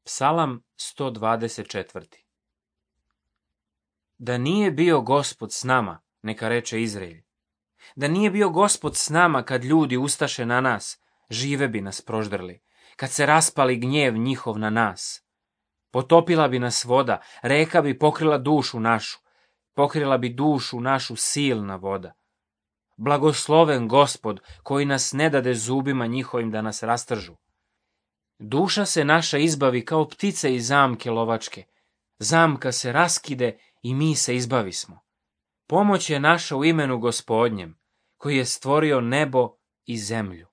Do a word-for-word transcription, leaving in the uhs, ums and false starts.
Psalam sto dvadeset četiri. Da nije bio Gospod s nama, neka reče Izrael. Da nije bio Gospod s nama kad ljudi ustaše na nas, žive bi nas proždrli, kad se raspali gnjev njihov na nas. Potopila bi nas voda, reka bi pokrila dušu našu, pokrila bi dušu našu silna voda. Blagosloven Gospod koji nas ne dade zubima njihovim da nas rastržu. Duša se naša izbavi kao ptice iz zamke lovačke. Zamka se raskide i mi se izbavismo. Pomoć je naša u imenu Gospodnjem, koji je stvorio nebo i zemlju.